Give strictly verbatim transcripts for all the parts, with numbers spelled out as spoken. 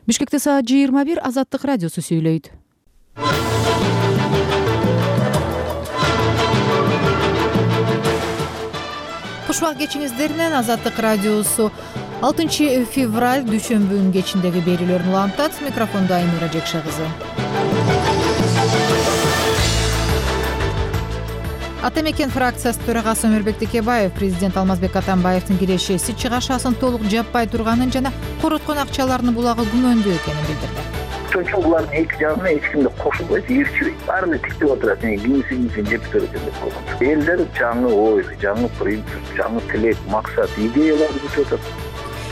Бишкекте саат жыйырма бир. Азаттык радиосу сүйлөйт. Кушбак кечиңиздеринен Азаттык радиосу алтынчы февраль дүйшөмбүнүн кечиндеги берүүлөрүн улантат. Микрофондо Айнура Жекше кызы. Ата мекен фракциясы төрагасы Өмүрбек Текебаев президент Алмазбек Атамбаевдин кирешеси чыгашасын толук жаппай турганын жана короткон акчалардын булагы күмөндүү экенин билдирди. Ошон үчүн булардын эки жагына эч ким да кошулбайт, ээрчибейт. Баарын тиктеп отурат, кийинсин жеп турат деп койгон. Элдер жаңы ой, жаңы принцип, жаңы тилек, максат, идеяларды күтүп атат.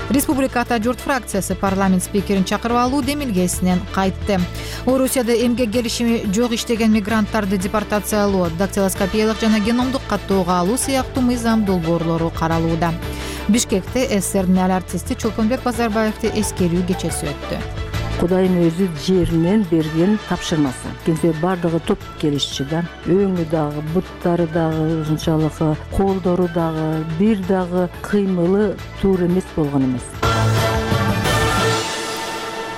Республика Ата журт фракциясы парламент спикерин чакырып алуу демилгесинен кайтты. Орусияда эмгек келишими жок иштеген мигранттарды депортациялоо, дактилоскопиялык жана геномдук каттоого алуу сыяктуу мыйзам долбоорлору каралууда. Бишкекте СССРдин эл артисти Чолпонбек Базарбаевди эскерүү кечеси өттү. Кудайдын өзү жеринен берген тапшырмасы. Кенсе бардыгы топ келишчи да. Өңү дагы, буттары дагы, ушунчалык колдору дагы, бир дагы кыймылы туура эмес болгон эмес.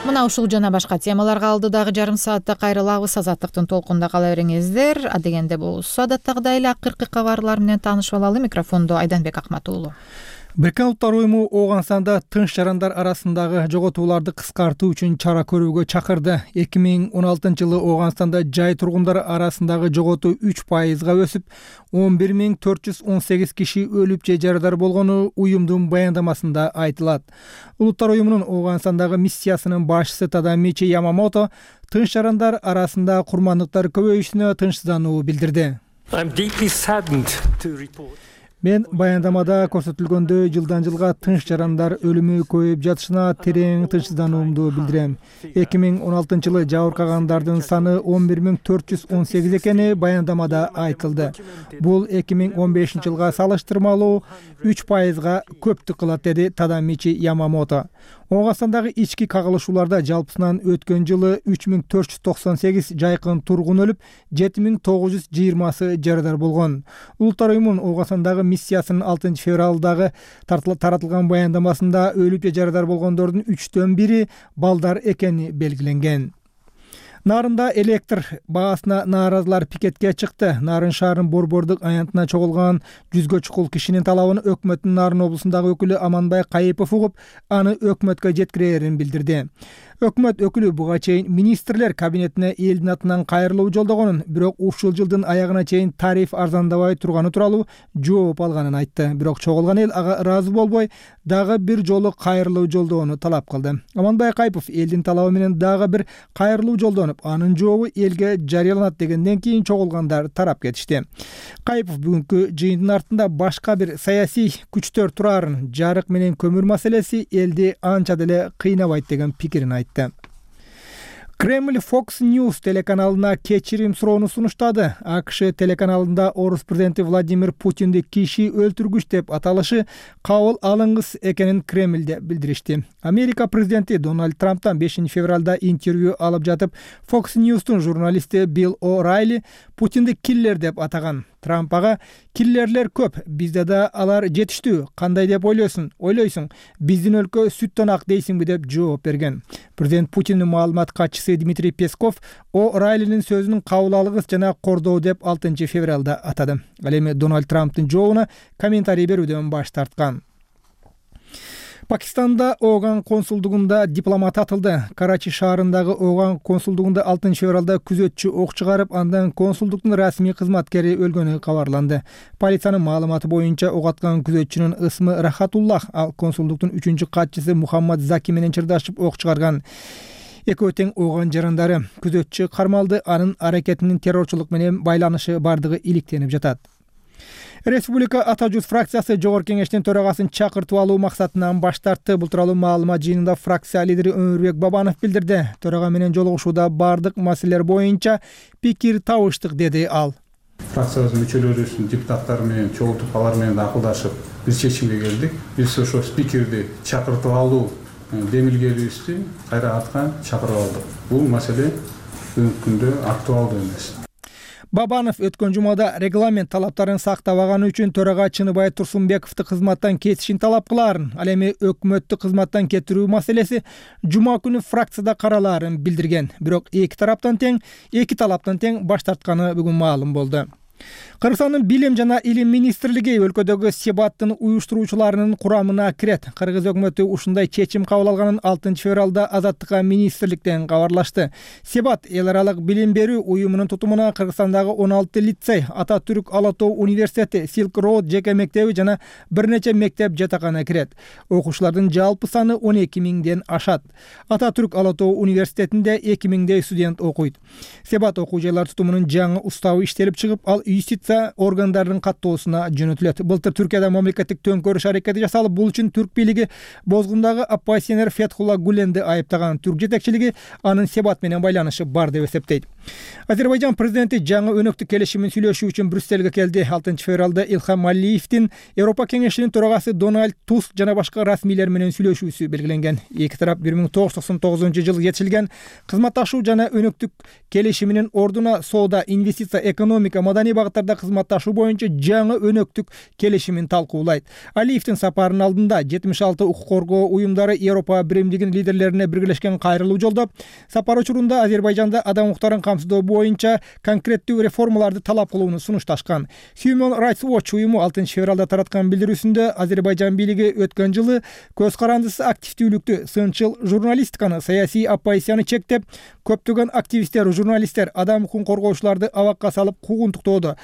Мына ушул жана башка темаларга алдыдагы жарым саатта кайрылабыз. Азаттыктын толкунда кала бериңиздер. Адегенде болсо адаттагыдай эле акыркы кабарлар менен таанышып алалы. Микрофондо Айданбек Акмат уулу. Бириккен Улуттар уюму Ооганстанда тынч жарандар арасындагы жоготууларды кыскартуу үчүн чара көрүүгө чакырды. эки миң он алтынчы жылы Ооганстанда жай тургундары арасындагы жоготуу үч пайызга өсүп, он бир миң төрт жүз он сегиз киши өлүп же жарадар болгону уюмдун баяндамасында айтылат. Улуттар уюмунун Ооганстандагы миссиясынын башчысы Тадамичи Ямамото тынч жарандар арасында курмандыктар көбөйүшүнө тынчсыздануу билдирди. Мен баяндамада көрсөтүлгөндөй жылдан жылга тынч жарандар өлүмү көбөйүп жатышына терең тынчсыздануумду билдирем. эки миң он алтынчы жылы жабыркагандардын саны он бир миң төрт жүз он сегиз экени баяндамада айтылды. Бул эки миң он бешинчи жылга салыштырмалуу үч пайызга көптүк кылат, деди Тадамичи Ямамото. Ооганстандагы ички кагылышууларда жалпысынан өткөн жылы үч миң төрт жүз токсон сегиз жайкын тургун өлүп, жети миң тогуз жүз жыйырмасы жарадар болгон. Улуттар уюмунун Ооганстандагы миссиясынын алтынчы февралдагы таратылган баяндамасында өлүп же жарадар болгондордун үчтөн бири балдар экени белгиленген. Нарында электр баасына нааразылар пикетке чыкты. Нарын шаарынын Борбордук аянтына чогулган жүзгө чукул кишинин талабын өкмөттүн Нарын облусундагы өкүлү Аманбай Кайыпов угуп, аны өкмөткө жеткирерин билдирди. Өкмөт өкүлү буга чейин министрлер кабинетине элдин атынан кайрылуу жолдогонун, бирок ушул жылдын аягына чейин тариф арзандабай турганы тууралуу жооп алганын айтты. Бирок чогулган эл ага ыраазы болбой, дагы бир жолу кайрылуу жолдоону талап кылды. Аманбай Кайыпов элдин талабы менен дагы бир кайрылуу жолдонуп, анын жообу элге жарыяланат дегенден кийин чогулгандар тарап кетишти. Кайыпов бүгүнкү жыйындын артында башка бир саясий күчтөр турарын, жарык менен көмүр маселеси элди анча деле кыйнабайт деген пикирин айтты. Кремль Fox News телеканалына кечирим суроону сунуштады. АКШ телеканалында орус президенти Владимир Путинди киши өлтүргүч деп аталышы кабыл алынгыс экенин Кремльде билдиришти. Америка президенти Дональд Трамптан бешинчи февралда интервью алып жатып, Fox News'тун журналисти Билл О'Райли Путинди киллер деп атаган. Трамп ага киллерлер көп, бизде да алар жетиштүү, кандай деп ойлойсуң? Ойлойсуң, биздин өлкө сүттөн ак дейсиңби деп жооп берген. Президент Путиндин маалымат катчысы Дмитрий Песков О'Райлинин сөзүнүн кабыл алгыс жана кордоо деп алтынчы февралда атады. Ал эми Дональд Трамптын жообуна комментарий берүүдөн баш тарткан. Пакистанда Ооган консулдугунда дипломат атылды. Карачи шаарындагы Ооган консулдугунда алтынчы февралда күзөтчү ок чыгарып, андан консулдуктун расмий кызматкери өлгөнү кабарланды. Полициянын маалыматы боюнча ок аткан күзөтчүнүн ысмы Рахатуллах, ал консулдуктун үчүнчү катчысы Мухаммад Заки менен чырдашып ок чыгарган. Экөө тең Ооган жарандары. Күзөтчү кармалды, анын аракетинин террорчулук менен байланышы бардыгы иликтенип жатат. Республика Ата журт фракциясы Жогорку кеңештин төрагасын чакыртып алуу максатынан баш тартты. Бул тууралуу маалымат жыйынында фракция лидери Өмүрбек Бабанов билдирди. Төрага менен жолугушууда бардык маселелер боюнча пикир табыштык, деди ал. Фракциябыздын мүчөлөрүбүздүн депутаттары менен чогултуп, алар менен акылдашып бир чечимге келдик. Биз ошо спикерди чакыртып алуу демилгебизди кайра артка чакырып алдык. Бул маселе бүгүнкү күндө актуалдуу эмес. Бабанов өткөн жумада регламент талаптарын сактабаганы үчүн төрага Чыныбай Турсунбековду кызматтан кетишин талап кылаарын, ал эми өкмөттү кызматтан кетирүү маселеси жума күнү фракцияда каралаарын билдирген. Бирок эки тараптан тең, эки талаптан тең баш тартканы бүгүн маалым болду. Кыргызстандын Билим жана Илим министрлиги өлкөдөгү Себаттын уюштуруучуларынын курамына кирет. Кыргыз өкмөтү ушундай чечим кабыл алганын алтынчы февралда Азаттыкка министрликтен кабарлашты. Себат эл аралык билим берүү уюмунун тутумуна Кыргызстандагы он алты лицей, Ататүрк Ала Тоо университети, Silk Road жеке мектеби жана бир нече мектеп жатакана кирет. Окуучулардын жалпы саны он эки миңден ашат. Ататүрк Ала Тоо университетинде эки миңдей студент окуйт. Себат окуу жайлар тутумунун жаңы уставы иштелип чыгып, ал юстиция органдарынын каттоосуна жөнөтүлөт. Былтыр Түркияда мамлекеттик төңкөрүш аракети жасалып, бул үчүн түрк бийлиги Бозгундагы оппозиционер Фетхулла Гуленди айыптаган. Түрк жетекчилиги анын Себат менен байланышы бар деп эсептейт. Азербайжан президенти жаңы өнөктүк келишимин сүйлөшүү үчүн Брюссельге келди. алтынчы февралда Илхам Алиевдин Европа кеңешинин төрагасы Дональд Туск жана башка расмийлер менен сүйлөшүүсү белгиленген. Эки тарап бир миң тогуз жүз токсон тогузунчу жылы жетишилген кызматташуу жана өнөктүк келишиминин ордуна соода, инвестиция, экономика, маданий багыттарда кызматташуу боюнча жаңы өнөктүк келишимин талкуулайт. Алиевдин сапарынын алдында жетимиш алты укук коргоо уюмдары Европа биримдигинин лидерлерине биргелешкен кайрылуу жолдоп, сапар учурунда Азербайжанда адам укуктарын камсыздоо боюнча конкреттүү реформаларды талап кылууну сунушташкан. Human Rights Watch уюму алтынчы февралда тараткан билдирүүсүндө Азербайжан бийлиги өткөн жылы көз карандысыз активдүүлүктү, сынчыл журналистиканы, саясий оппозицияны чектеп, көптөгөн активисттер, журналисттер, адам укугун коргоочуларды абакка салып куугунтуктоодо,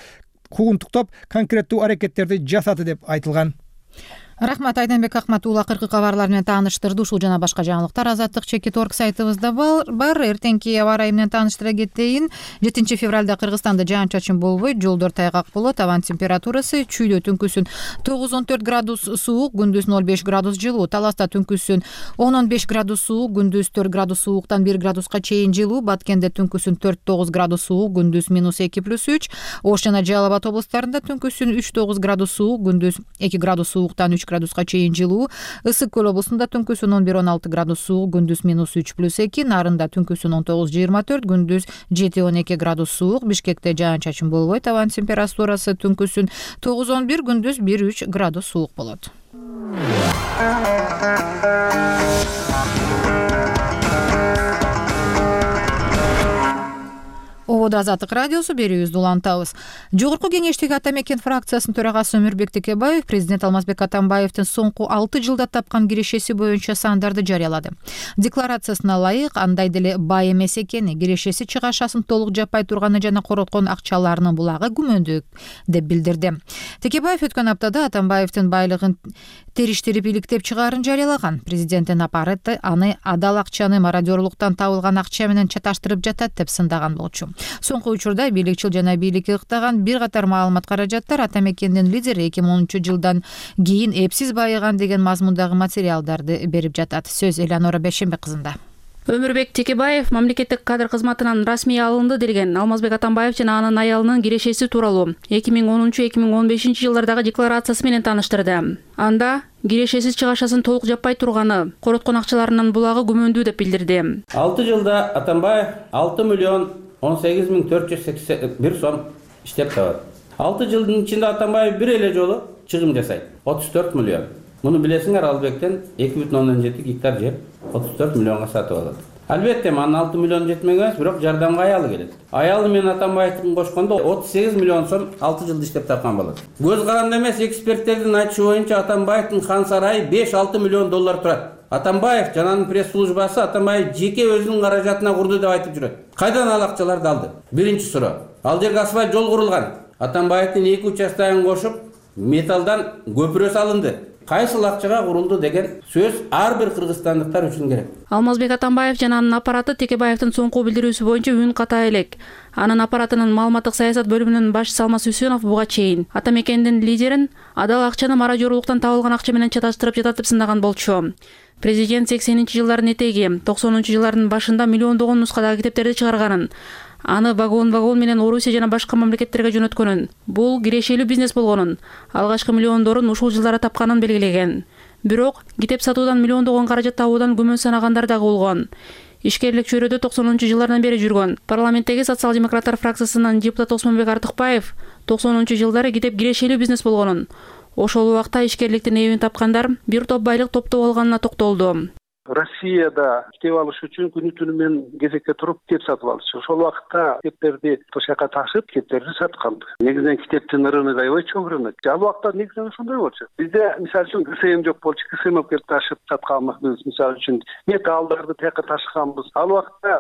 куугунтуктап конкреттүү аракеттерди жасады деп айтылган. Рахмат, Айданбек Акмат уулу акыркы кабарлар менен тааныштырды. Ушул жана башка жаңылыктар Азаттык чекит точка орг сайтыбызда бар. Эртеңки аба ырайы менен тааныштыра кетейин. жетинчи февралда Кыргызстанда жаан-чачын болбойт, жолдор тайгак болот. Абанын температурасы чүйдө түнкүсүн тогуз он төрт градус суук, күндүз ноль беш градус жылуу. Таласта түнкүсүн он он беш градус суук, күндүз төрт градус сууктан бир градуска чейин жылуу. Баткенде түнкүсүн төрт тогуз градус суук, күндүз минус эки плюс үч. Ош жана Жалал Абад облустарында түнкүсүн үч тогуз градус суук, күндүз эки градус сууктан үч градуска чейин жылуу. Ысык көл облусунда түнкүсүн он бир он алты градус суук, күндүз минус үч плюс эки. Нарында түнкүсүн он тогуз жыйырма төрт, күндүз жети он эки градус суук. Бишкекте жаан-чачын болбойт. Абанын температурасы түнкүсүн тогуз он бир, күндүз бир үч градус суук болот. Ободо Азаттык радиосу, берүүбүздү улантабыз. Жогорку кеңештеги Ата Мекен фракциясынын төрагасы Өмүрбек Текебаев президент Алмазбек Атамбаевдин соңку алты жылда тапкан кирешеси боюнча сандарды жарыялады. Декларациясына ылайык, андай деле бай эмес экени, кирешеси чыгашасын толук жаппай турганы жана короткон акчаларынын булагы күмөндүү деп билдирди. Текебаев өткөн аптада Атамбаевдин байлыгын териштирип иликтеп чыгаарын жарыялаган. Президенттин аппараты аны адал акчаны мародёрлуктан табылган акча менен чаташтырып жатат деп сындаган болчу. Соңку учурда бийликчил жана бийликке ыктаган бир катар маалымат каражаттар Ата Мекендин лидери эки миң онунчу жылдан кийин эпсиз байыган деген мазмундагы материалдарды берип жатат. Сөз Элеонора Бешембек кызында. Өмүрбек Текебаев мамлекеттик кадр кызматынан расмий алынды делген Алмазбек Атамбаев жана анын аялынын кирешеси тууралуу эки миң онунчу эки миң он бешинчи жылдардагы декларациясы менен тааныштырды. Анда кирешесиз чыгашасын толук жаппай турганы, короткон акчаларынын булагы күмөндүү деп билдирди. алты жылда Атамбаев алты миллион он сегиз миң төрт жүз сексен бир сом иштеп табат. алты жылдын ичинде Атамбаев бир эле жолу чыгым жасайт. отуз төрт миллион. Муну билесиңер, Албектен эки бүтүн ондон жети гектар жер отуз төрт миллионго сатып алат. Албетте, анын алты миллион жетмеген эмес, бирок жардамга аялы келет. Аялы менен Атамбаевдин кошкондо отуз сегиз миллион сом алты жылда иштеп тапкан болот. Көз каранды эмес, эксперттердин айтышы боюнча Атамбаевдин хан сарайы беш алты миллион доллар турат. Атамбаев жана анын пресс-службасы Атамбаев жеке өзүнүн каражатына курду деп айтып жүрөт. Кайдан ал акчаларды алды? Биринчи суроо. Ал жерге асфальт жол курулган. Атамбаевдин эки участогун кошуп, металлдан көпүрө салынды. Кайсыл акчага курулду деген сөз ар бир кыргызстандыктар үчүн керек. Алмазбек Атамбаев жана анын аппараты Текебаевдин соңку билдирүүсү боюнча үн ката элек. Анын аппаратынын маалыматтык саясат бөлүмүнүн башчысы Алмаз Үсөнов буга чейин Ата Мекендин лидерин адал акчаны мародёрлуктан табылган акча менен чаташтырып жатат деп сындаган болчу. Президент сексенинчи жылдардын этеги, токсонунчу жылдардын башында миллиондогон нускадагы китептерди чыгарганын, аны вагон-вагон менен Орусия жана башка мамлекеттерге жөнөткөнүн, бул кирешелүү бизнес болгонун, алгачкы миллиондорун ушул жылдары тапканын белгилеген. Бирок китеп сатуудан миллиондогон каражат табуудан күмөн санагандар дагы болгон. ишкерлик чөйрөдө токсонунчу жылдардан бери жүргөн. Парламенттеги социал-демократтар фракциясынын депутаты Осмонбек Артыкбаев токсонунчу жылдары китеп кирешелүү бизнес болгонун, ошол убакта ишкерликтин эбин тапкандар бир топ байлык топтоп алганына токтолду. Россияда китеп алыш үчүн күнү түнү менен кезекке туруп китеп сатып алчу. Ошол убакта китептерди ошол жака ташып, китептерди саткан. Негизинен китептин рыногу аябай чоң рынок. Ал убакта негизинен ошондой болчу. Бизде мисалы үчүн КСМ жок болчу. КСМ келип ташып сатканбыз. Мисалы үчүн металлдарды тияка ташыганбыз. Ал убакта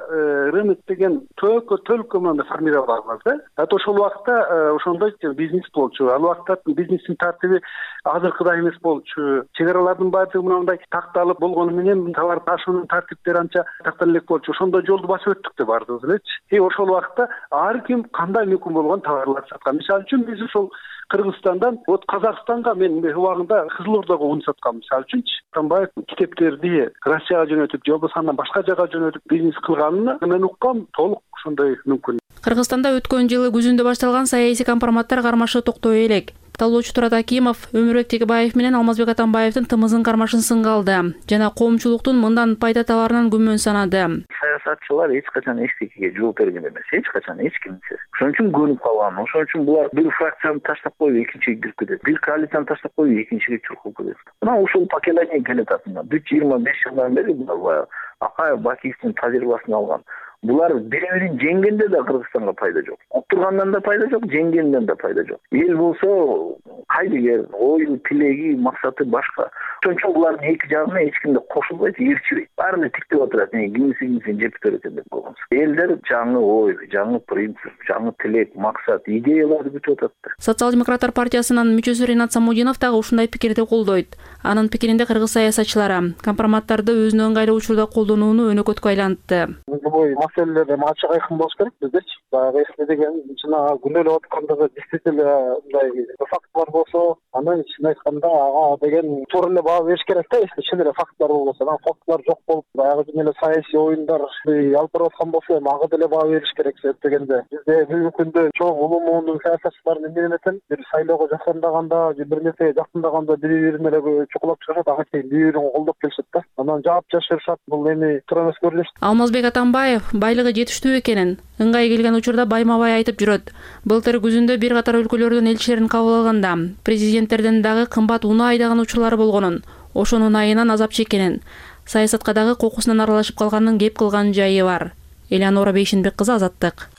рынок деген төлкө төлкө менен формировалган да. Ат ошол убакта ошондой бизнес болчу. Ал убакта бизнестин тартиби азыркыдай эмес болчу. Чек аралардын баардыгы мындай такталып болгону менен товар ташуунун тартиптери анча тактан элек болчу. Ошондой жолду басып өттүк да бардыгыбыз элечи. И ошол убакта ар ким кандай мүмкүн болгон товарларды саткан. Мисалы үчүн биз ошол Кыргызстандан вот Казакстанга мен убагында Кызыл Ордого ун саткам. Мисалы үчүнчү Атамбаев китептерди Россияга жөнөтүп, же болбосо андан башка жака жөнөтүп бизнес кылганын мен уккам, толук ошондой мүмкүн. Кыргызстанда өткөн жылы күзүндө башталган саясий компроматтар кармашы токтой элек. Талоочу Турат Акимов Өмүрбек Текебаев менен Алмазбек Атамбаевдин тымызын кармашын сынга алды жана коомчулуктун мындан пайда табарынан күмөн санады. Саясатчылар эч качан эчтекеге жооп берген эмес, эч качан эч кимсе. Ошон үчүн көнүп калган. Ошон үчүн булар бир фракцияны таштап коюп экинчиге кирип кетет. Бир коалицияны таштап коюп экинчиге чуркуп кетет. Мына ушул поколение келет атында. бүт жыйырма беш жылдан бери булар Акаев Бакиевдин тажрыйбасын алган. Булар бири-бирин жеңгенде да Кыргызстанга пайда жок. Отургандан да пайда жок, жеңгенден да пайда жок. Эл болсо кайдыгер, ою, тилеги, максаты башка. Ошон үчүн булардын эки жагына эч кимде кошулбайт, ээрчибейт. Баарын тиктеп отурат, кимиси-кимисин жеп берет деп койгонбуз. Элдер жаңы ой, жаңы принцип, жаңы тилек, максат, идеяларды күтүп атат. Социал-демократтар партиясынын мүчөсү Ринат Самудинов дагы ушундай пикирди колдойт. Анын пикиринде кыргыз саясатчылары компроматтарды өзүнө ыңгайлуу учурда колдонууну өнөкөткө айлантты. Маселелер эми ачык айкын болуш керек биздечи. Баягы эсте деген жана күнөөлөп аткандыгы действительно мындай фактлар болсо, анан чын айтканда ага деген туура эле баа бериш керек да. Эсте чын эле фактлар болбосо, анан фактлар жок болуп, баягы жөн эле саясий оюндар алып барып аткан болсо, эми ага деле баа бериш керек деп дегенде. Бизде бүгүнкү күндө чоң улуу муунун саясатчыларын эмне этен, бир шайлоого жакындаганда, же бир нерсеге жакындаганда бири-бирин эле чукулап чыгышат, ага чейин бири-бирин колдоп келишет да. Анан жаап жашырышат. Бул эми туура эмес көрүнүш. Алмазбек Атамбаев байлыгы жетиштүү экенин ыңгай келген учурда байма-бай айтып жүрөт. Былтыр күзүндө бир катар өлкөлөрдүн элчилерин кабыл алганда президенттерден дагы кымбат унаа айдаган учурлары болгонун, ошонун айынан азап чеккенин, саясатка дагы кокусунан аралашып калганын кеп кылган жайы бар. Элеонора Бейшинбек кызы, Азаттык.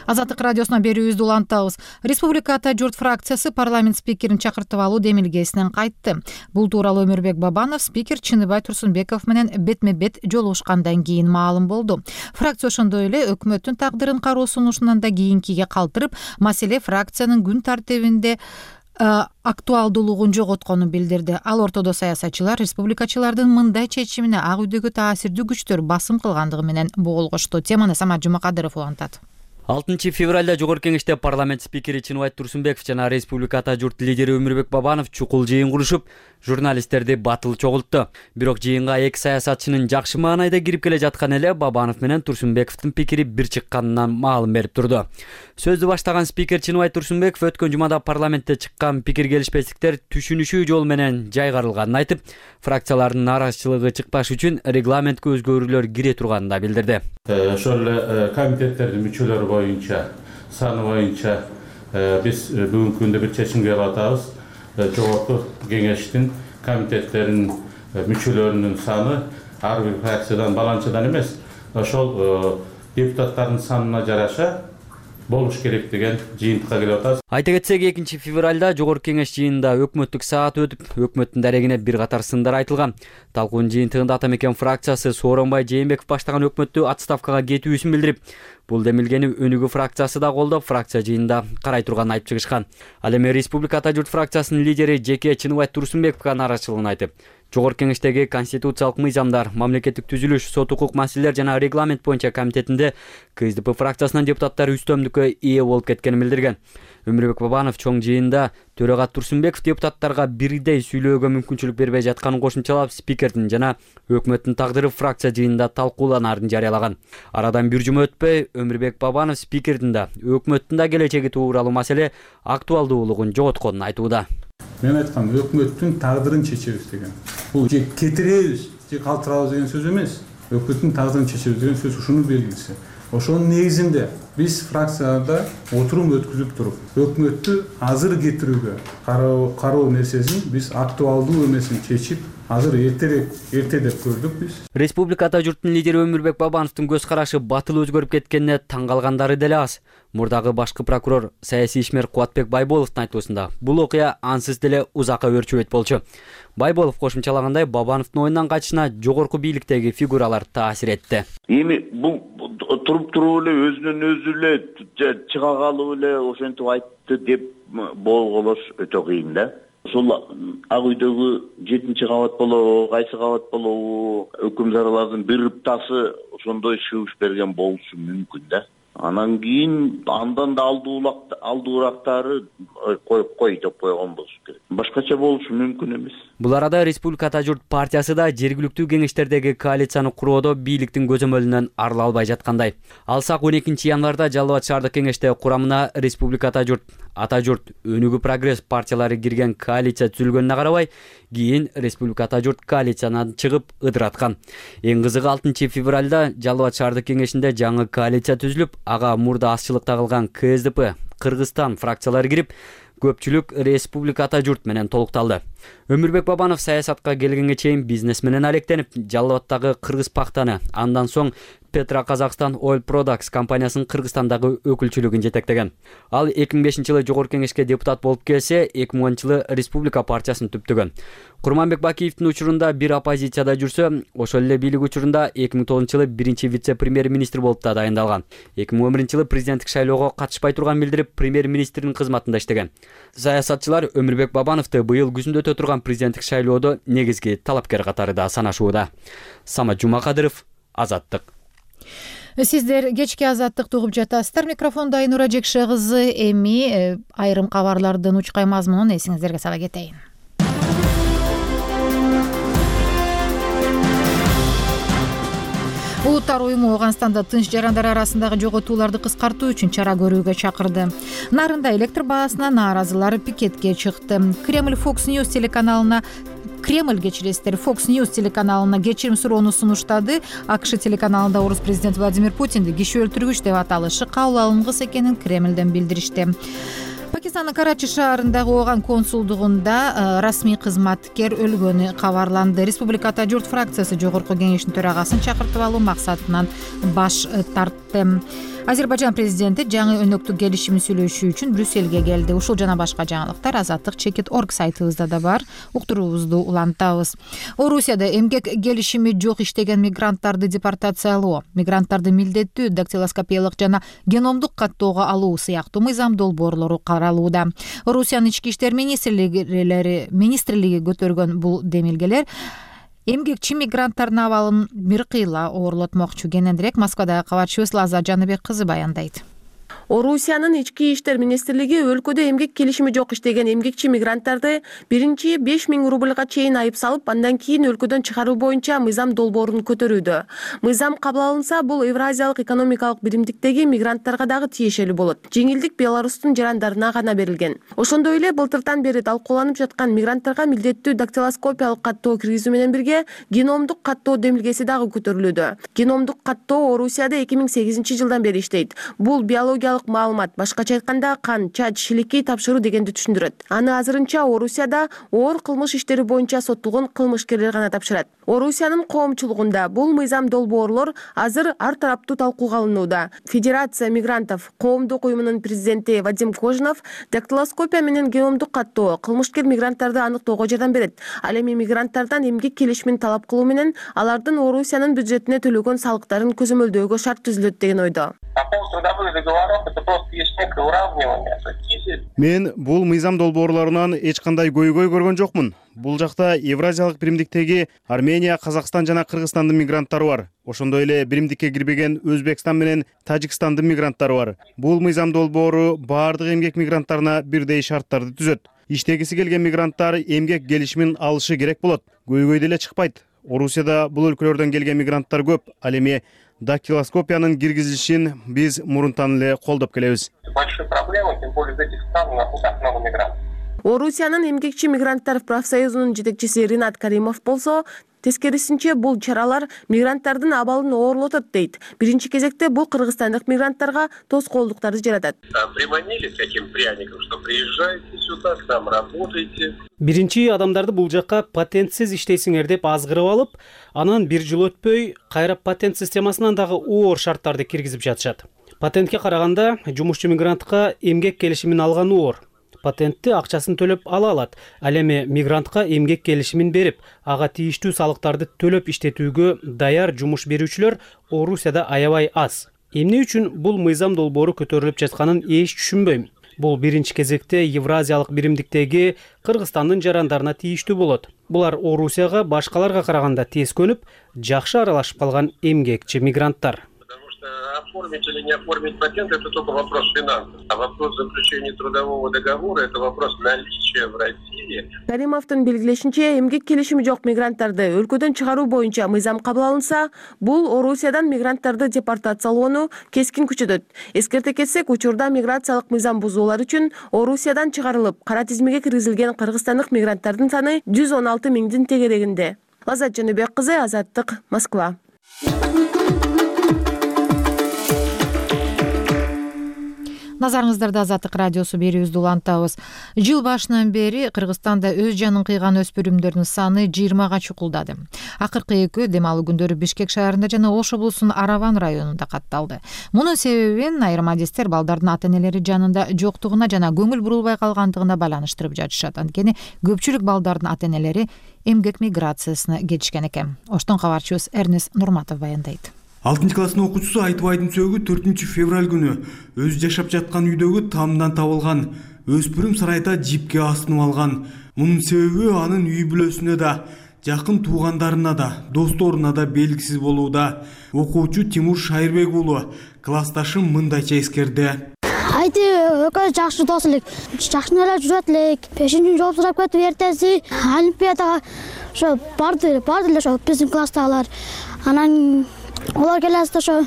Азаттык радиосуна берүүбүздү улантабыз. Республика Ата журт фракциясы парламент спикерин чакыртып алуу демилгесинен кайтты. Бул тууралуу Өмүрбек Бабанов спикер Чыныбай Турсунбеков менен бетме-бет жолугушкандан кийин маалым болду. Фракция ошондой эле өкмөттүн тагдырын кароо сунушунан да кийинкиге калтырып, маселе фракциянын күн тартибинде актуалдуулугун жоготконун билдирди. Ал ортодо саясатчылар республикачылардын мындай чечимине ак үйдөгү таасирдүү күчтөр басым кылгандыгы менен болгошту. Теманы Самат Жумакадыров улантат. алтынчы февралда Жогорку Кеңеште парламент спикери Чыныбай Турсунбеков жана Республика Ата журт лидери Өмүрбек Бабанов чукул жыйын курушуп, журналисттерди батыл чогултту. Бирок жыйынга эки саясатчынын жакшы маанайда кирип келе жаткан эле Бабанов менен Турсунбековдун пикири бир чыкканынан маалым берип турду. Сөздү баштаган спикер Чыныбай Турсунбеков өткөн жумада парламентте чыккан пикир келишпестиктер түшүнүшүү жол менен жайгарылганын айтып, фракциялардын нараазычылыгы чыкпаш үчүн регламентке өзгөрүүлөр кире турганын да билдирди. Ошол эле комитеттердин мүчөлөрү боюнча, саны боюнча биз бүгүнкү күндө бир чечимге келип атабыз. Жогорку Кеңештин комитеттеринин мүчөлөрүнүн саны ар бир фракциядан баланчадан эмес, ошол депутаттардын санына жараша болуш керек деген жыйынтыкка келип атабыз. Айта кетсек, экинчи февралда Жогорку Кеңеш жыйынында өкмөттүк саат өтүп, өкмөттүн дарегине бир катар сындар айтылган. Талкуунун жыйынтыгында Ата Мекен фракциясы Сооронбай Жээнбеков баштаган өкмөттү отставкага кетүүсүн билдирип, бул демилгени Өнүгүү фракциясы да колдоп, фракция жыйынында карай турганын айтып чыгышкан. Ал эми Республика Ата журт фракциясынын лидери жеке Чыныбай Турсунбековго нааразычылыгын айтып, Жогорку Кеңештеги конституциялык мыйзамдар, мамлекеттик түзүлүш, сот укук маселелер жана регламент боюнча комитетинде КСДП фракциясынын депутаттары үстөмдүккө ээ болуп кеткенин билдирген. Өмүрбек Бабанов чоң жыйында Төрөгат Турсунбеков депутаттарга бирдей сүйлөөгө мүмкүнчүлүк бербей жатканын кошумчалап, спикердин жана өкмөттүн тагдыры фракция жыйынында талкууланаарын жарыялаган. Арадан бир жума өтпөй Өмүрбек Бабанов спикердин да, өкмөттүн да келечеги тууралуу маселе актуалдуулугун жоготконун айтууда. Мен айткам, өкмөттүн тагдырын чечебиз деген. Бул же кетиребиз, же калтырабыз деген сөз эмес. Өкмөттүн тагдырын чечебиз деген сөз ушунун белгиси. Ошонун негизинде биз фракцияда отурум өткүзүп туруп, өкмөттү азыр кетирүүгө кароо кароо нерсесин биз актуалдуу эмесин чечип, азыр эртерээк эрте деп көрдүк биз. Республика ата журттун лидери Өмүрбек Бабановдун көз карашы батыл өзгөрүп кеткенине таң калгандары деле аз. Мурдагы башкы прокурор саясий ишмер Кубатбек Байболовдун айтуусунда бул окуя ансыз деле узакка өрчүбөйт болчу. Байболов кошумчалагандай, Бабановдун оюндан качышына жогорку бийликтеги фигуралар таасир этти. Эми бул туруп туруп эле өзүнөн өзү эле чыга калып эле ошентип айтты деп болголош өтө кыйын да. Ошол ак үйдөгү жетинчи кабат болобу, кайсы кабат болобу, өкүм чаралардын бир ыптасы ошондой шыбыш берген болушу мүмкүн да. Анан кийин андан да алдуурактары коюп кой деп койгон болуш керек. Башкача болушу мүмкүн эмес. Бул арада Республика ата журт партиясы да жергиликтүү кеңештердеги коалицияны куроодо бийликтин көзөмөлүнөн арыла албай жаткандай. Алсак он экинчи январда Жалал Абад шаардык кеңеште курамына Республика ата журт, ата журт, Өнүгүү прогресс партиялары кирген коалиция түзүлгөнүнө карабай, кийин Республика ата журт коалициянан чыгып ыдыраткан. Эң кызыгы алтынчы февралда Жалал Абад шаардык кеңешинде жаңы коалиция түзүлүп, ага мурда азчылыкта калган К С Д П, Кыргызстан фракциялары кирип, көпчүлүк Республика ата журт менен толукталды. Өмүрбек Бабанов саясатка келгенге чейин бизнес менен алектенип, Жалал Абадтагы Кыргыз пактаны, андан соң Петра Казакстан Oil Products компаниясынын Кыргызстандагы өкүлчүлүгүн жетектеген. Ал эки миң бешинчи жылы жогорку кеңешке депутат болуп келсе, эки миң онунчу жылы Республика партиясын түптөгөн. Курманбек Бакиевдин учурунда бир оппозицияда жүрсө, ошол эле бийлик учурунда эки миң тогузунчу жылы биринчи вице-премьер-министр болуп да дайындалган. эки миң он биринчи жылы президенттик шайлоого катышпай турган билдирип, премьер-министрдин кызматында иштеген. Саясатчылар Өмүрбек Бабановду быйыл күзүндө өтө турган президенттик шайлоодо негизги талапкер катары да санашууда. Самат Жумакадыров, Азаттык. Сиздер кечки Азаттыкты угуп жатасыздар. Микрофондо Айнура Жекше кызы. Эми айрым кабарлардын учкай мазмунун эсиңиздерге сала кетейин. Улуттар уюму Ооганстанда тынч жарандар арасындагы жоготууларды кыскартуу үчүн чара көрүүгө чакырды. Нарында электр баасына нааразылар пикетке чыкты. Кремль Fox News телеканалына Кремль кечиресиздер Fox News телеканалына кечирим суроону сунуштады. АКШ телеканалында орус президенти Владимир Путинди киши өлтүргүч деп аталышы кабыл алынгыс экенин Кремлден билдиришти. Пакистандын Карачи шаарындагы Ооган консулдугунда расмий кызматкер өлгөнү кабарланды. Республика ата журт фракциясы жогорку кеңештин төрагасын чакыртып алуу максатынан баш тартты. Азербайжан президенти жаңы өнөктүк келишими сүйлөшүү үчүн Брюссельге келди. Ушул жана башка жаңылыктар Азаттык чекит точка орг сайтыбызда да бар. Уктуруубузду улантабыз. Орусияда эмгек келишими жок иштеген мигранттарды депортациялоо, мигранттарды милдеттүү дактилоскопиялык жана геномдук каттоого алуу сыяктуу мыйзам долбоорлору каралууда. Орусиянын ички иштер министрлиги министрлиги көтөргөн бул демилгелер эмгекчи мигранттардын абалын бир кыйла оорлотмокчу. Кененирээк Москвадагы кабарчыбыз Лаза Жаныбек кызы баяндайт. Орусиянын ички иштер министрлиги өлкөдө эмгек келишими жок иштеген эмгекчи мигранттарды биринчи беш миң рубльга чейин айып салып, андан кийин өлкөдөн чыгаруу боюнча мыйзам долбоорун көтөрүүдө. Мыйзам кабыл алынса, бул Евразиялык экономикалык биримдиктеги мигранттарга дагы тиешелүү болот. Жеңилдик Беларустун жарандарына гана берилген. Ошондой эле былтыртан бери талкууланып жаткан мигранттарга милдеттүү дактилоскопиялык каттоо киргизүү менен бирге геномдук каттоо демилгеси дагы көтөрүлүүдө. Геномдук каттоо Орусияда эки миң сегизинчи жылдан бери иштейт. Бул биологиялык маалымат, башкача айтканда кан, чач, шилекей тапшыруу дегенди түшүндүрөт. Аны азырынча Орусияда оор кылмыш иштери боюнча соттолгон кылмышкерлер гана тапшырат. Орусиянын коомчулугунда бул мыйзам долбоорлор азыр ар тараптуу талкууга алынууда. Федерация мигрантов коомдук уюмунун президенти Вадим Кожинов дактилоскопия менен геномдук каттоо кылмышкер мигранттарды аныктоого жардам берет. Ал эми мигранттардан эмгек келишимин талап кылуу менен алардын Орусиянын бюджетине төлөгөн салыктарын көзөмөлдөөгө шарт түзүлөт деген ойдо. Мен бул мыйзам долбоорлорунан эч кандай көйгөй көргөн жокмун. Бул жакта Евразиялык биримдиктеги Армения, Казакстан жана Кыргызстандын мигранттары бар. Ошондой эле биримдикке кирбеген Өзбекстан менен Тажикстандын мигранттары бар. Бул мыйзам долбоору баардык эмгек мигранттарына бирдей шарттарды түзөт. Иштегиси келген мигранттар эмгек келишимин алышы керек болот. Көйгөйдө эле чыкпайт. Орусияда бул өлкөлөрдөн келген мигранттар көп. Ал эми дактилоскопиянын киргизилишин биз мурунтан эле колдоп келебиз. Большой проблемой, тем более из этих стран у нас так много мигрантов. Орусиянын эмгекчи мигранттар профсоюзунун жетекчиси Ринат Каримов болсо, тескерисинче бул чаралар мигранттардын абалын оорлотот дейт. Биринчи кезекте бул кыргызстандык мигранттарга тоскоолдуктарды жаратат. Приманили с этим пряником, что приезжайте сюда, к нам работайте. Биринчи адамдарды бул жакка патентсиз иштейсиңер деп азгырып алып, анан бир жыл өтпөй кайра патент системасынан дагы оор шарттарды киргизип жатышат. Патентке караганда жумушчу мигрантка эмгек келишимин алган оор. Патентти акчасын төлөп ала алат. Ал эми мигрантка эмгек келишимин берип, ага тийиштүү салыктарды төлөп иштетүүгө даяр жумуш берүүчүлөр Орусияда аябай аз. Эмне үчүн бул мыйзам долбоору көтөрүлүп жатканын эч түшүнбөйм. Бул биринчи кезекте Евразиялык биримдиктеги Кыргызстандын жарандарына тийиштүү болот. Булар Орусияга башкаларга караганда тез көнүп, жакшы аралашып калган эмгекчи мигранттар. Оформить или не оформить патент – это только вопрос финансов. А вопрос заключения трудового договора – это вопрос наличия в России. Каримовдун белгилешинче, эмгек келишими жок мигранттарды өлкөдөн чыгаруу боюнча мыйзам кабыл алынса, бул Орусиядан мигранттарды депортациялоону кескин күчөтөт. Эскерте кетсек, учурда миграциялык мыйзам бузуулар үчүн Орусиядан чыгарылып, кара тизмеге киргизилген кыргызстандык мигранттардын саны жүз он алты миңдин тегерегинде. Лаззат Жаныбек кызы, Азаттык, Москва. Назарыңыздарда Азаттык радиосу берүүбүздү улантабыз. Жыл башынан бери Кыргызстанда өз жанын кыйган өспүрүмдөрдүн саны жыйырмага чукулдады. Акыркы экөө дем алуу күндөрү Бишкек шаарында жана Ош облусунун Араван районунда катталды. Мунун себебин айрым адистер балдардын ата-энелери жанында жоктугуна жана көңүл бурулбай калгандыгына байланыштырып жатышат. Анткени көпчүлүк балдардын ата-энелери эмгек миграциясына кетишкен экен. Оштон кабарчыбыз Эрнес Нурматов баяндайт. алтынчы класстын окуучусу Айтыбайдын сөөгү төртүнчү февраль күнү өз жашап жаткан үйдөгү тамдан табылган. Өспүрүм сарайда жипке асынып алган. Мунун себеби анын үй бүлөсүнө да, жакын туугандарына да, досторуна да белгисиз болууда. Окуучу Тимур Шайырбек уулу классташым мындайча эскерди. Айты экөөбүз жакшы дос элек, жакшы эле жүрөт элек. бешинчи жооп сурап кетип эртеси олимпиадага ошо барды, барды эле ошо биздин класстагылар. Анан олар келесиде ошо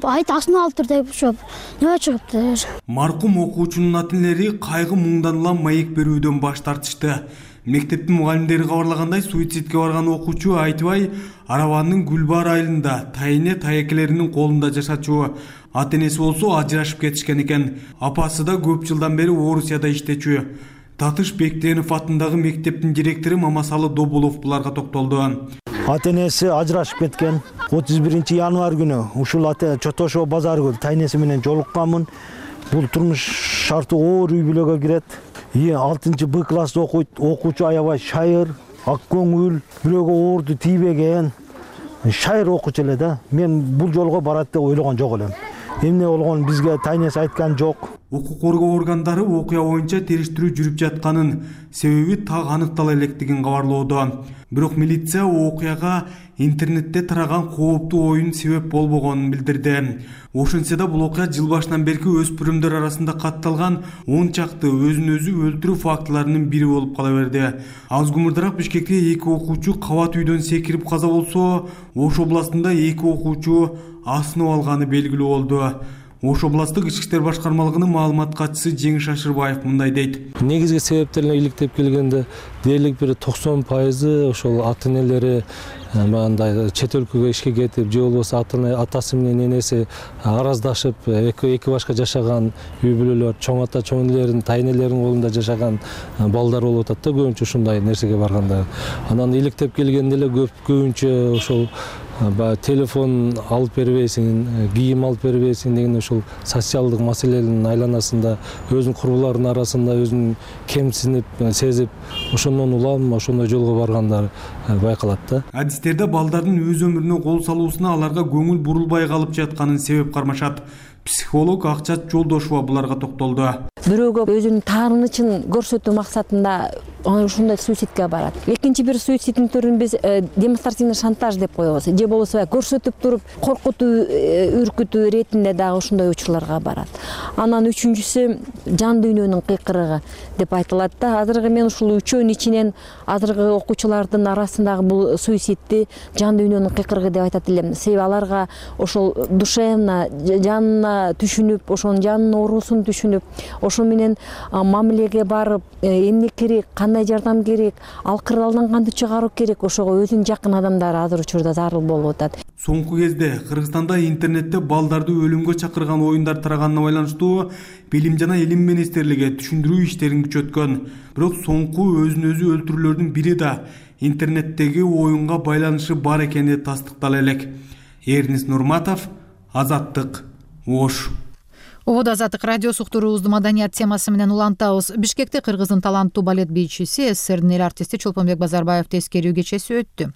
айт асынып алыптыр деп ошо небе чыгыптыр. Маркум окуучунун ата-энелери кайгы муңдан улам маек берүүдөн баш тартышты. Мектептин мугалимдери кабарлагандай, суицидке барган окуучу Айтыбай Аравандын Гүлбар айылында тайыне таекелеринин колунда жашачу. Ата-энеси болсо ажырашып кетишкен экен. Апасы да көп жылдан бери Орусияда иштечү. Татыш Бектенов атындагы мектептин директору Мамасалы Добулов буларга токтолду. Ата-энеси ажырашып кеткен. отуз биринчи январь күнү ушул ата Чотошо базаргүл тайнеси менен жолукканмын. Бул турмуш шарты оор үй бүлөгө кирет. алтынчы Б класста окуйт. Окуучу аябай шайыр, ак көңүл, бирөөгө оорду тийбеген. Шайыр окуучу эле да. Мен бул жолго барат деп ойлогон жок элем. Эмне болгонун бизге тайнес айткан жок. Укук коргоо органдары окуя боюнча териштирүү жүрүп жатканын, себеби так аныктала электигин кабарлоодо. Бирок милиция окуяга интернетте тараган кооптуу оюн себеп болбогонун билдирди. Ошентсе да бул окуя жыл башынан берки өспүрүмдөр арасында катталган он чакты өзүн өзү өлтүрүү фактыларынын бири болуп кала берди. Аз гумурдараак Бишкекте эки окуучу кабат үйдөн секирип каза болсо, Ош областында эки окуучу асынып алганы белгилүү болду. Ош областык ички иштер башкармалыгынын маалымат катчысы Жеңиш Шашырбаев мындай дейт. Негизги себептерине иликтеп келгенде дээрлик бир токсон пайызы ошол ата-энелери мындай чет өлкөгө ишке кетип, же болбосо атасы менен энеси араздашып, эки эки башка жашаган үй бүлөлөр, чоң ата, чоң энелердин, тайнелердин колунда жашаган балдар болуп атат да, көбүнчө ушундай нерсеге барганда. Анан иликтеп келгенде эле көп көбүнчө ошол телефон алып бербейсиң, кийим алып бербейсиң деген ошол социалдык маселенин айланасында өзүнүн курбуларынын арасында өзүн кемсинип, сезип, ошондон улам ошондой жолго баргандар байкалат да. Адистерде балдардын өз өмүрүнө кол салуусуна аларга көңүл бурулбай калып жатканын себеп кармашат. психолог Акчат Жолдошова буларга токтолду. Бирөөгө өзүнүн таарынычын көрсөтүү максатында ушундай суицидке барат. Экинчи бир суициддин түрүн биз демонстративный шантаж деп коебуз. Же болбосо көрсөтүп туруп коркутуу, үркүтүү иретинде дагы ушундай учурларга барат. Анан үчүнчүсү жан дүйнөнүн кыйкырыгы деп айтылат да. Азыркы мен ушул үчөөнүн ичинен азыркы окуучулардын арасындагы бул суицидди жан дүйнөнүн кыйкырыгы деп айтат элем. Себеби аларга ошол душевно жанына түшүнүп, ошонун жанынын оорусун түшүнүп, ошо менен мамилеге барып, эмне керек, кандай жардам керек, ал кырдаалдан кантип чыгаруу керек, ошого өзүнүн жакын адамдары азыр учурда зарыл болуп атат. Соңку кезде Кыргызстанда интернетте балдарды өлүмгө чакырган оюндар тараганына байланыштуу Билим жана Илим министрлиги түшүндүрүү иштерин күчөткөн. Бирок соңку өзүн өзү өлтүрүүлөрдүн бири да интернеттеги оюнга байланышы бар экени тастыктала элек. Эрнис Нурматов, Азаттык, Ош. Ободо Азаттык радиосу уктуруубузду маданият темасы менен улантабыз. Бишкекте Кыргыздын таланттуу балет бийчиси, СССРдин эл артисти Чолпонбек Базарбаев тескерүү кечеси өттү.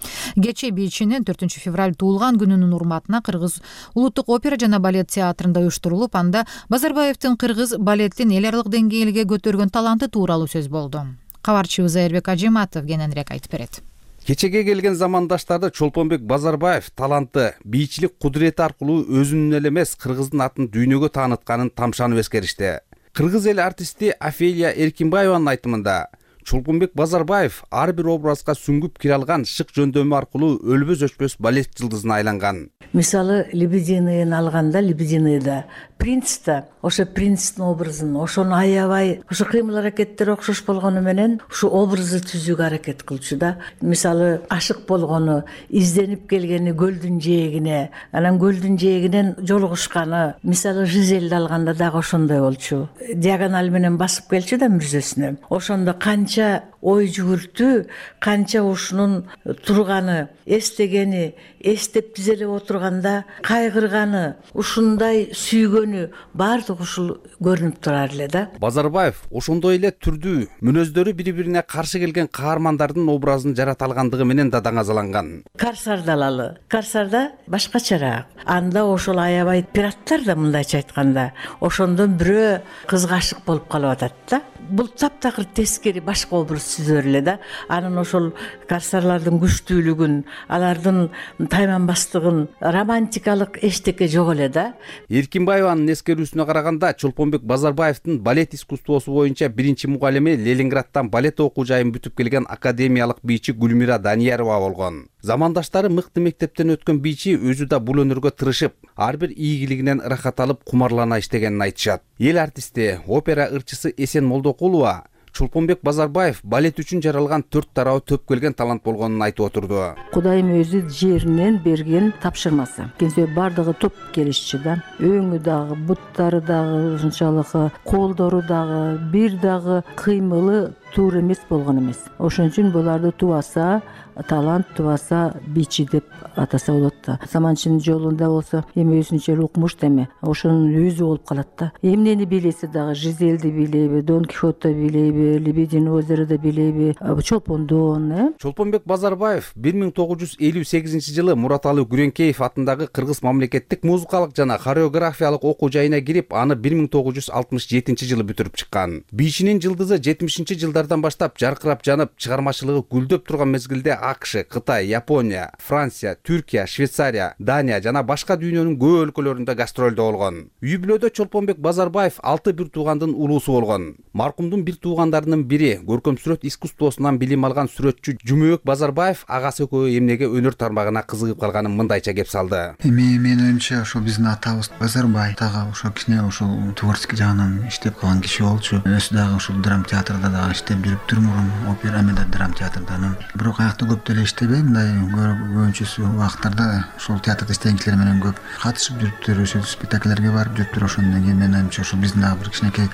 Кече бийчинин төртүнчү февраль туулган күнүнүн урматына Кыргыз улуттук опера жана балет театрында уюштурулуп, анда Базарбаевдин кыргыз балеттин эл аралык деңгээлге көтөргөн таланты тууралуу сөз болду. Кабарчыбыз Айырбек Ажиматов кененирээк айтып берет. Кечеге келген замандаштарды Чолпонбек Базарбаев таланты, бийчилик кудурети аркылуу өзүнүн эле эмес, Кыргыздын атын дүйнөгө таанытканын тамшанып эскеришти. Кыргыз эл артисти Офелия Эркинбаеванын айтымында, Чолпонбек Базарбаев ар бир образга сүңгүп кире алган шык жөндөмү аркылуу өлбөс өчпөс балет жылдызына айланган. Мисалы, Лебединыйын алганда, Лебединыйда принцта ошо принцтин образын, ошону аябай, ошо кыймыл аракеттери окшош болгону менен ушу образды түзүүгө аракет кылчу да. Мисалы, ашык болгону, изденип келгени көлдүн жээгине, анан көлдүн жээгинен жолугушканы, мисалы, Жизелди алганда дагы ошондой болчу. Диагональ менен басып келчү да мүрзөсүнө. Ошондо канча ой жүгүртүү, канча ушунун турганы, эстегени, эстеп тизелеп отурганда кайгырганы, ушундай сүйгөнү баардыгы ушул көрүнүп турар эле да. Базарбаев ошондой эле түрдүү, мүнөздөрү бири-бирине каршы келген каармандардын образын жарата алгандыгы менен да даңазаланган. Карсарды алалы. Карсарда башкачараак. Анда ошол аябай пираттар да, мындайча айтканда, ошондон бирөө кызга ашык болуп калып атат да. Бул таптакыр тескери башка образ түзөр эле да. Анын ошол карсарлардын күчтүүлүгүн, алардын тайманбастыгын, романтикалык эчтеке жок эле да. Эркинбаеванын эскерүүсүнө караганда, Чолпонбек Базарбаевдин балет искусствосу боюнча биринчи мугалими Ленинградтан балет окуу жайын бүтүп келген академиялык бийчи Гүлмира Даниярова болгон. Замандаштары мыкты мектептен өткөн бийчи өзү да бул өнөргө тырышып, ар бир ийгилигинен ырахат алып, кумарлана иштегенин айтышат. Эл артисти, опера ырчысы Эсен Молдокулова Чолпонбек Базарбаев балет үчүн жаралган төрт тарабы төп келген талант болгонун айтып отурду. Кудайым өзү жеринен берген тапшырмасы. Кенсе бардыгы топ келишчи да. Өңү дагы, буттары дагы, ушунчалык колдору дагы, бир дагы кыймылы туура эмес болгон эмес. Ошон үчүн буларды тубаса, талант тубаса бийчи деп атаса болот да. Саманчынын жолунда болсо эми өзүнчө укмуш деме, ошонун өзү болуп калат да. Эмнени билеси дагы, Жизелди билеби, Дон Кихотто билеби, Лебедин озерода билеби, Чолпондон, э? Чолпонбек Базарбаев бир миң тогуз жүз элүү сегизинчи жылы Мураталы Күреңкеев атындагы Кыргыз мамлекеттик музыкалык жана хореографиялык окуу жайына кирип, аны бир миң тогуз жүз алтымыш жетинчи жылы бүтүрүп чыккан. Бийчинин жылдызы жетимишинчи жылдардан баштап жаркырап жанып, чыгармачылыгы гүлдөп турган мезгилде АКШ, Кытай, Япония, Франция, Түркия, Швейцария, Дания жана башка дүйнөнүн көп өлкөлөрүндө гастролдо болгон. Үй бүлөдө Чолпонбек Базарбаев алты бир туугандын улуусу болгон. Маркумдун бир туугандарынын бири, көркөм сүрөт искусствосунан билим алган сүрөтчү Жумөк Базарбаев агасы экөө эмнеге өнөр тармагына кызыгып калганын мындайча кеп салды. Эми менин оюмча ошо биздин атабыз Базарбаев дагы ошо кичине ошо творческий жагынан иштеп калган киши болчу. Өзү дагы ушул драм театрда дагы иштеп жүрүптүр мурун, опера менен драм театрданын. Бирок аякта көп деле иштебей, мындай көбүнчөсү убактарда ошол театрда иштеген кишилер менен көп катышып жүрүптүр, ошол спектакльлерге барып жүрүптүр. Ошондон кийин менин оюмча ошо биздин дагы бир кичинекей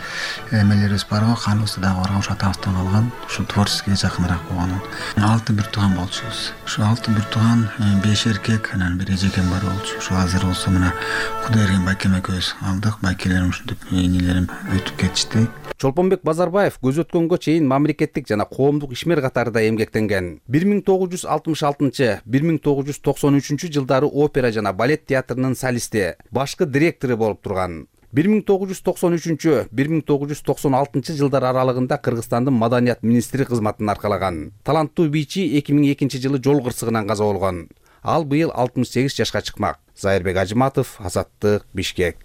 эмелерибиз бар го, каныбызда дагы барган, ошо атабыздан калган, ушул творческийге жакыныраак болгон. Алты бир тууган болчубуз. Ошо алты бир тууган, беш эркек, анан бир эжекем бар болчу. Ошо азыр болсо мына Кудайберген байкем экөөбүз алдык, байкелерим ушинтип энелерим өтүп кетишти. Чолпонбек Базарбаев көз өткөнгө чейин кийин мамлекеттик жана коомдук ишмер катарында эмгектенген. бир миң тогуз жүз алтымыш алтынчы бир миң тогуз жүз токсон үчүнчү жылдары опера жана балет театрынын солисти, башкы директору болуп турган. бир миң тогуз жүз токсон үчүнчү бир миң тогуз жүз токсон алтынчы жылдар аралыгында Кыргызстандын маданият министри кызматын аркалаган. Таланттуу бийчи эки миң экинчи жылы жол кырсыгынан каза болгон. Ал быйыл алтымыш сегиз жашка чыкмак. Зайырбек Ажыматов, Азаттык, Бишкек.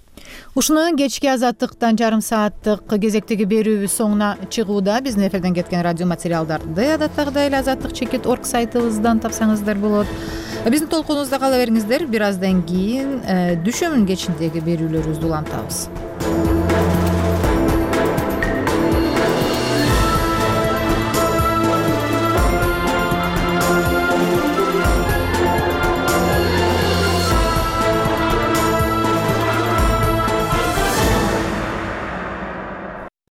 Ушуну кечки Азаттыктан жарым сааттык кезектеги берүүбүз соңуна чыгууда. Биздин эфирден кеткен радио материалдарды адаттагыдай эле азаттык чекит орг сайтыбыздан тапсаңыздар болот. Биздин толкунубузда кала бериңиздер. Бир аздан кийин дүшөмүн кечиндеги берүүлөрүбүздү улантабыз.